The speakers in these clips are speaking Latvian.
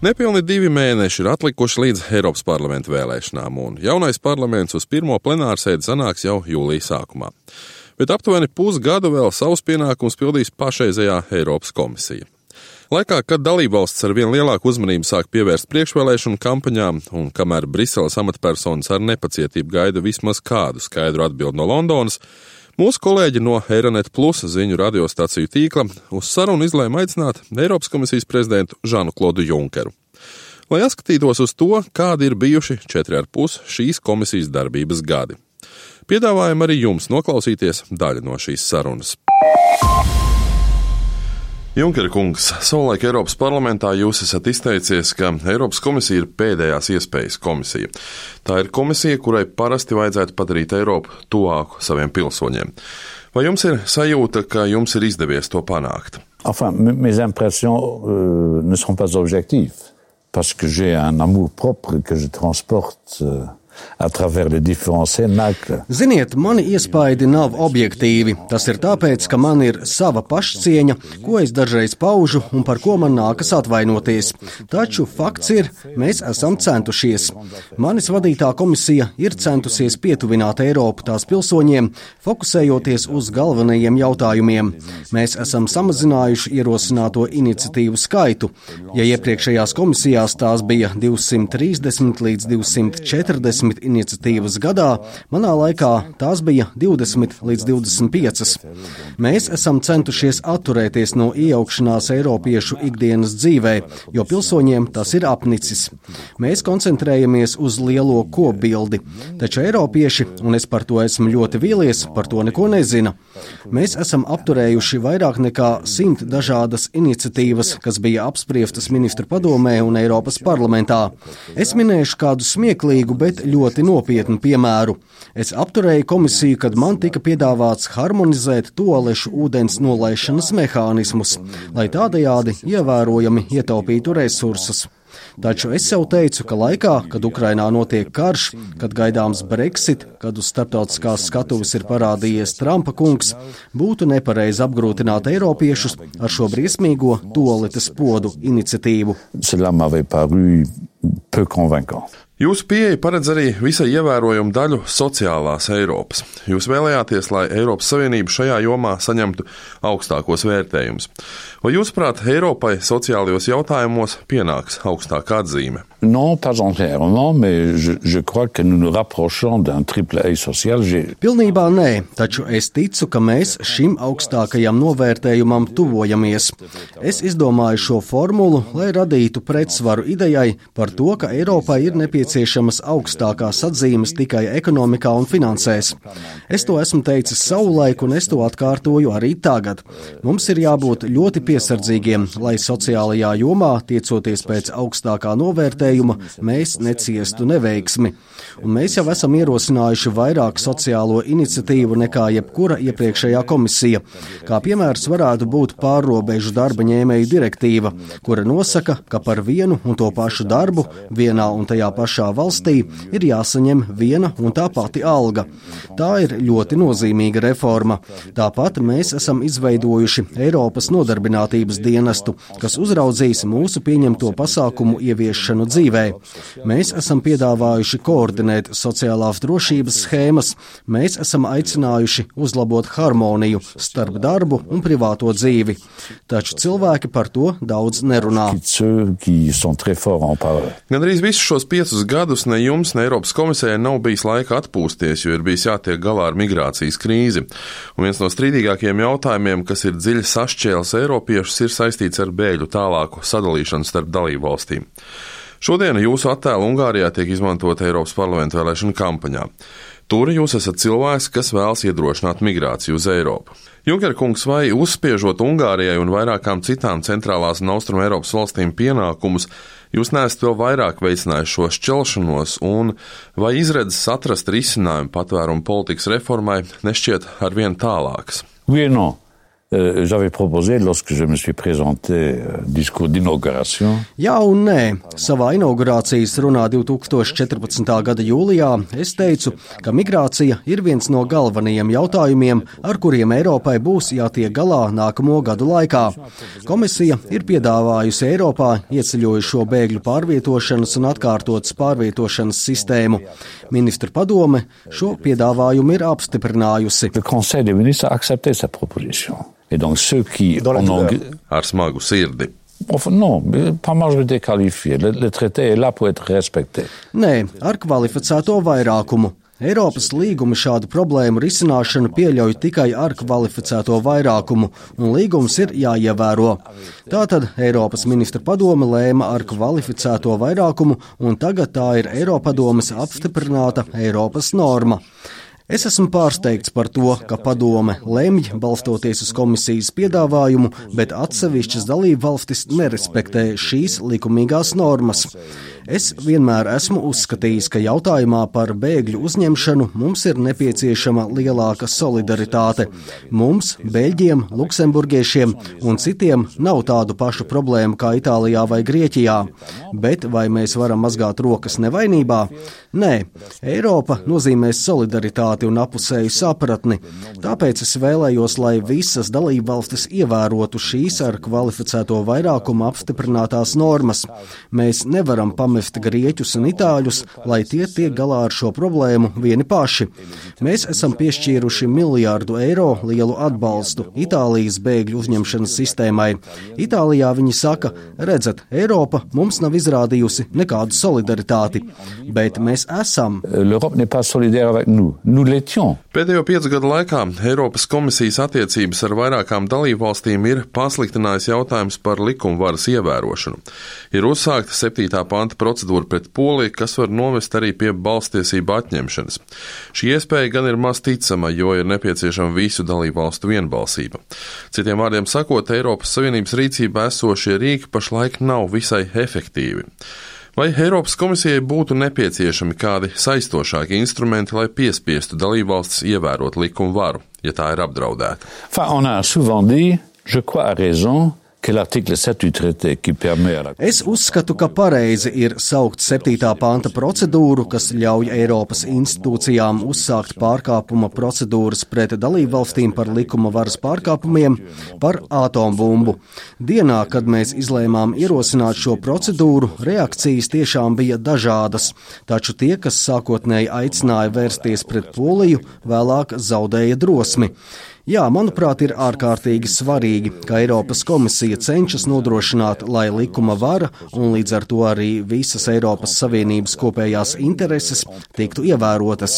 Nepilni 2 mēneši ir atlikuši līdz Eiropas parlamenta vēlēšanām, un jaunais parlaments uz pirmo plenārsēdi sanāks jau jūlija sākumā. Bet aptuveni pusgadu vēl savus pienākumus pildīs pašreizējā Eiropas komisija. Laikā, kad dalībvalsts ar vien lielāku uzmanību sāk pievērst priekšvēlēšanu kampaņām, un kamēr Briseles amatpersonas ar nepacietību gaida vismaz kādu skaidru atbildi no Londonas, mūsu kolēģi no Eironet Plus ziņu radiostaciju tīkla uz sarunu izlēma aicināt Eiropas komisijas prezidentu Žanu Klodu Junkeru, lai atskatītos uz to, kādi ir bijuši 4,5 šīs komisijas darbības gadi. Piedāvājam arī jums noklausīties daļu no šīs sarunas. Junker kungs, savulaik Eiropas parlamentā jūs esat izteicies, ka Eiropas komisija ir pēdējās iespējas komisija. Tā ir komisija, kurai parasti vajadzētu padarīt Eiropu tuvāku saviem pilsoņiem. Vai jums ir sajūta, ka jums ir izdevies to panākt? Enfin, mes impressions ne sont pas objectives, parce que j'ai un amour propre que je transporte à travers les différents cénacles. Ziniet, mani iespaidi nav objektīvi. Tas ir tāpēc, ka man ir sava pašcieņa, ko es dažreiz paužu un par ko man nākas atvainoties. Taču fakts ir, mēs esam centušies. Manis vadītā komisija ir centusies pietuvināt Eiropu tās pilsoņiem, fokusējoties uz galvenajiem jautājumiem. Mēs esam samazinājuši ierosināto iniciatīvu skaitu. Ja iepriekšējās komisijās tās bija 230 līdz 240 iniciatīvas gadā, manā laikā tās bija 20 līdz 25. Mēs esam centušies atturēties no iejaukšanās eiropiešu ikdienas dzīvē, jo pilsoņiem tas ir apnicis. Mēs koncentrējamies uz lielo kopbildi, taču eiropieši, un es par to esmu ļoti vīlies, par to neko nezina. Mēs esam apturējuši vairāk nekā 100 dažādas iniciatīvas, kas bija apspriestas ministru padomē un Eiropas parlamentā. Es minēšu kādu smieklīgu, bet ļoti nopietnu piemēru. Es apturēju komisiju, kad man tika piedāvāts harmonizēt tualešu ūdens nolaišanas mehānismus, lai tādējādi ievērojami ietaupītu resursus. Taču es sev teicu, ka laikā, kad Ukrainā notiek karš, kad gaidāms Brexit, kad uz starptautiskās skatuves ir parādījies Trumpa kungs, būtu nepareizi apgrūtināt eiropiešus ar šo briesmīgo tualetes podu iniciatīvu. Cela m'avait paru peu convaincant. Jūsu pieeja paredz arī visai ievērojumu daļu sociālās Eiropas. Jūs vēlējāties, lai Eiropas Savienība šajā jomā saņemtu augstākos vērtējumus. Vai jūsuprāt, Eiropai sociālajos jautājumos pienāks augstākā atzīme? Non, pas entièrement, mais je crois que nous nous rapprochons d'un triple A social. Pilnībā nē, taču es ticu, ka mēs šim augstākajam novērtējumam tuvojamies. Es izdomāju šo formulu, lai radītu pretsvaru idejai par to, ka Eiropai ir nepieciešamas augstākās atzīmes tikai ekonomikā un finansēs. Es to esmu teicis savulaik, un es to atkārtoju arī tagad. Mums ir jābūt ļoti piesardzīgiem, lai sociālajā jomā, tiecoties pēc augstākā novērtējuma, mēs neciestu neveiksmi. Un mēs jau esam ierosinājuši vairāk sociālo iniciatīvu nekā jebkura iepriekšējā komisija. Kā piemērs varētu būt pārrobežu darba ņēmēju direktīva, kura nosaka, ka par vienu un to pašu darbu vienā un tajā pašā valstī ir jāsaņem viena un tā pati alga. Tā ir ļoti nozīmīga reforma. Tāpat mēs esam izveidojuši Eiropas nodarbinātības dienestu, kas uzraudzīs mūsu pieņemto pasākumu ieviešanu dzīvē. Mēs esam piedāvājuši koordinēt sociālās drošības schēmas, mēs esam aicinājuši uzlabot harmoniju starp darbu un privāto dzīvi. Taču cilvēki par to daudz nerunā. Gandrīz visus šos 5 gadus ne jums, ne Eiropas komisijai nav bijis laika atpūsties, jo ir bijis jātiek galā ar migrācijas krīzi. Un viens no strīdīgākajiem jautājumiem, kas ir dziļi sašķēlis eiropiešus, ir saistīts ar bēgļu tālāku sadalīšanu starp dalību valstīm. Šodien jūsu attēlu Ungārijā tiek izmantota Eiropas parlamenta vēlēšanu kampaņā. Tur jūs esat cilvēks, kas vēlas iedrošināt migrāciju uz Eiropu. Junker kungs, vai uzspiežot Ungārijai un vairākām citām centrālās un austrumu Eiropas valstīm pienākumus, jūs neesat vēl vairāk veicinājuši šo šķelšanos, un vai izredzes atrast risinājumu patvērumu politikas reformai nešķiet arvien tālākas? Oui et non. J'avais proposé, lorsque je me suis présenté discours d'inauguration. Jā un nē. Savā inaugurācijas runā 2014. gada jūlijā es teicu, ka migrācija ir viens no galvenajiem jautājumiem, ar kuriem Eiropai būs jātiek galā nākamo gadu laikā. Komisija ir piedāvājusi Eiropā ieceļojušo bēgļu pārvietošanas un atkārtotas pārvietošanas sistēmu. Ministru padome šo piedāvājumu ir apstiprinājusi. Le Conseil des ministres a accepté sa proposition. Et donc ceux qui Ar smagu sirdi. Enfin, non, pas majorité qualifiée. Le traité est là pour être respecté. Nē, ar kvalificēto vairākumu. Eiropas līgumi šādu problēmu risināšanu pieļauj tikai ar kvalificēto vairākumu, un līgums ir jāievēro. Tātad Eiropas ministra padome lēma ar kvalificēto vairākumu, un tagad tā ir Eiropadomes apstiprināta Eiropas norma. Es esmu pārsteigts par to, ka padome lemj balstoties uz komisijas piedāvājumu, bet atsevišķas dalību valstis nerespektē šīs likumīgās normas. Es vienmēr esmu uzskatījis, ka jautājumā par bēgļu uzņemšanu mums ir nepieciešama lielāka solidaritāte. Mums, Beļģiem, Luksemburgiešiem un citiem nav tādu pašu problēmu kā Itālijā vai Grieķijā. Bet vai mēs varam mazgāt rokas nevainībā? Nē, Eiropa nozīmēs solidaritāti un apusēju sapratni. Tāpēc es vēlējos, lai visas dalībvalstis ievērotu šīs ar kvalificēto vairākumu apstiprinātās normas. Mēs nevaram pamest grieķus un itāļus, lai tie tiek galā ar šo problēmu vieni paši. Mēs esam piešķīruši €1 miljārdu lielu atbalstu Itālijas bēgļu uzņemšanas sistēmai. Itālijā viņi saka, redzat, Eiropa mums nav izrādījusi nekādu solidaritāti, bet mēs esam. L'Europe n'est pas solidaire avec nous. Nous l'étions. Pēdējo 5 gadu laikā Eiropas komisijas attiecības ar vairākām dalībvalstīm ir pasliktinājis jautājums par likumvaras ievērošanu. Ir uzsākta 7. panta procedūra pret Poliju, kas var novest arī pie balstiesību atņemšanas. Šī iespēja gan ir maz ticama, jo ir nepieciešama visu dalībvalstu vienbalsība. Citiem vārdiem sakot, Eiropas Savienības rīcībā esošie rīki pašlaik nav visai efektīvi. Vai Eiropas komisijai būtu nepieciešami kādi saistošāki instrumenti, lai piespiestu dalībvalstis ievērot likumu varu, ja tā ir apdraudēta? Enfin, on a souvent dit, je crois à raison, que l'article 7 du traité qui permet à la... Es uzskatu, ka pareizi ir saukt 7. panta procedūru, kas ļauj Eiropas institūcijām uzsākt pārkāpuma procedūras pret dalībvalstīm par likuma varas pārkāpumiem par atombumbu. Dienā, kad mēs izlēmām ierosināt šo procedūru, reakcijas tiešām bija dažādas, taču tie, kas sākotnēji aicināja vērsties pret Poliju, vēlāk zaudēja drosmi. Jā, manuprāt, ir ārkārtīgi svarīgi, ka Eiropas komisija cenšas nodrošināt, lai likuma vara un līdz ar to arī visas Eiropas Savienības kopējās intereses tiktu ievērotas.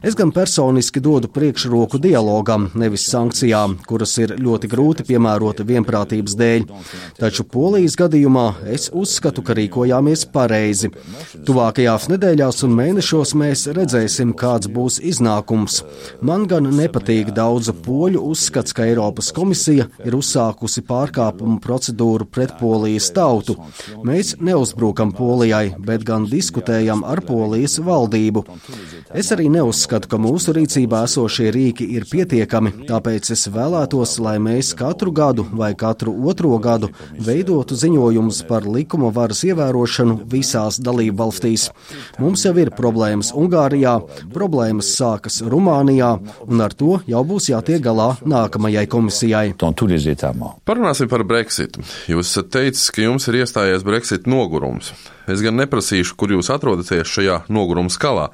Es gan personiski dodu priekšroku dialogam, nevis sankcijām, kuras ir ļoti grūti piemērot vienprātības dēļ. Taču Polijas gadījumā es uzskatu, ka rīkojāmies pareizi. Tuvākajās nedēļās un mēnešos mēs redzēsim, kāds būs iznākums. Man gan nepatīk daudzu poļu uzskats, ka Eiropas komisija ir uzsākusi pārkāpumu procedūru pret Polijas tautu. Mēs neuzbrukam Polijai, bet gan diskutējam ar Polijas valdību. Es arī neuzskatu, ka mūsu rīcībā esošie rīki ir pietiekami, tāpēc es vēlētos, lai mēs katru gadu vai katru otro gadu veidotu ziņojumus par likuma varas ievērošanu visās dalībvalstīs. Mums jau ir problēmas Ungārijā, problēmas sākas Rumānijā, un ar to jau būs jātiek galā nākamajai komisijai. Parunāsim par Brexitu. Jūs esat teicis, ka jums ir iestājies Brexit nogurums. Es gan neprasīšu, kur jūs atrodaties šajā noguruma skalā.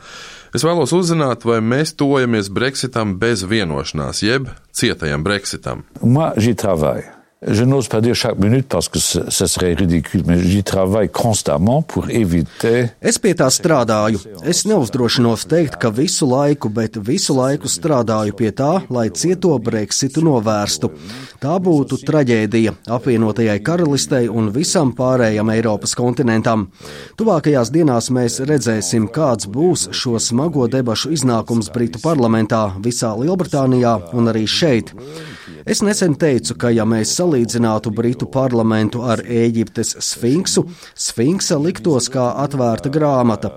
Es vēlos uzzināt, vai mēs tojamies Brexitam bez vienošanās, jeb cietajam Brexitam. Moi, j'y travaille. Je n'ose pas dire chaque minute parce que ce serait ridicule, mais j'y travaille constamment pour éviter. Es pie tā strādāju. Es neuzdrošinos teikt, ka visu laiku, bet visu laiku strādāju pie tā, lai cieto Brexitu novērstu. Tā būtu traģēdija apvienotajai karalistei un visam pārējam Eiropas kontinentam. Tuvākajās dienās mēs redzēsim, kāds būs šo smago debašu iznākums Britu parlamentā, visā Lielbritānijā un arī šeit. Es nesen teicu, ka ja mēs salīdzinātu Britu parlamentu ar Ēģiptes sfinksu, sfinksa liktos kā atvērta grāmata.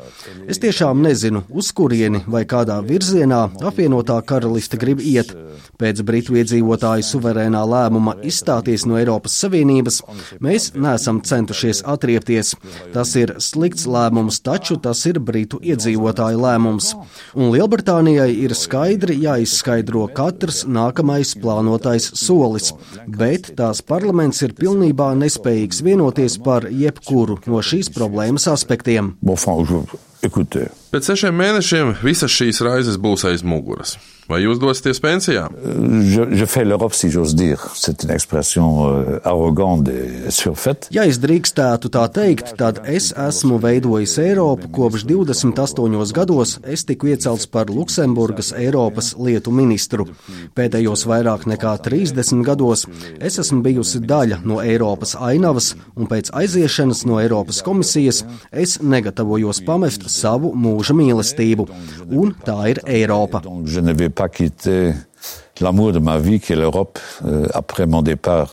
Es tiešām nezinu, uz kurieni vai kādā virzienā apvienotā karaliste grib iet. Pēc Britu iedzīvotāju suverēnā lēmuma izstāties no Eiropas Savienības, mēs neesam centušies atriepties. Tas ir slikts lēmums, taču tas ir Britu iedzīvotāju lēmums. Un Lielbritānijai ir skaidri jāizskaidro katrs nākamais plānotais solis, bet tās parlaments ir pilnībā nespējīgs vienoties par jebkuru no šīs problēmas aspektiem. Pēc 6 mēnešiem visas šīs raizes būs aiz muguras. Vai jūs dosieties pensijā? Je fais l'Europe, si j'ose dire. C'est une expression arrogante et surfaite. Ja es drīkstētu tā teikt, tad es esmu veidojis Eiropu kopš 28 gados. Es tiku iecelts par Luksemburgas Eiropas lietu ministru. Pēdējos vairāk nekā 30 gados es esmu bijusi daļa no Eiropas ainavas, un pēc aiziešanas no Eiropas komisijas es negatavojos pamest savu mūža mīlestību. Un tā ir Eiropa. Je ne vais pas quitter l'amour de ma vie qui est l'Europe après mon départ.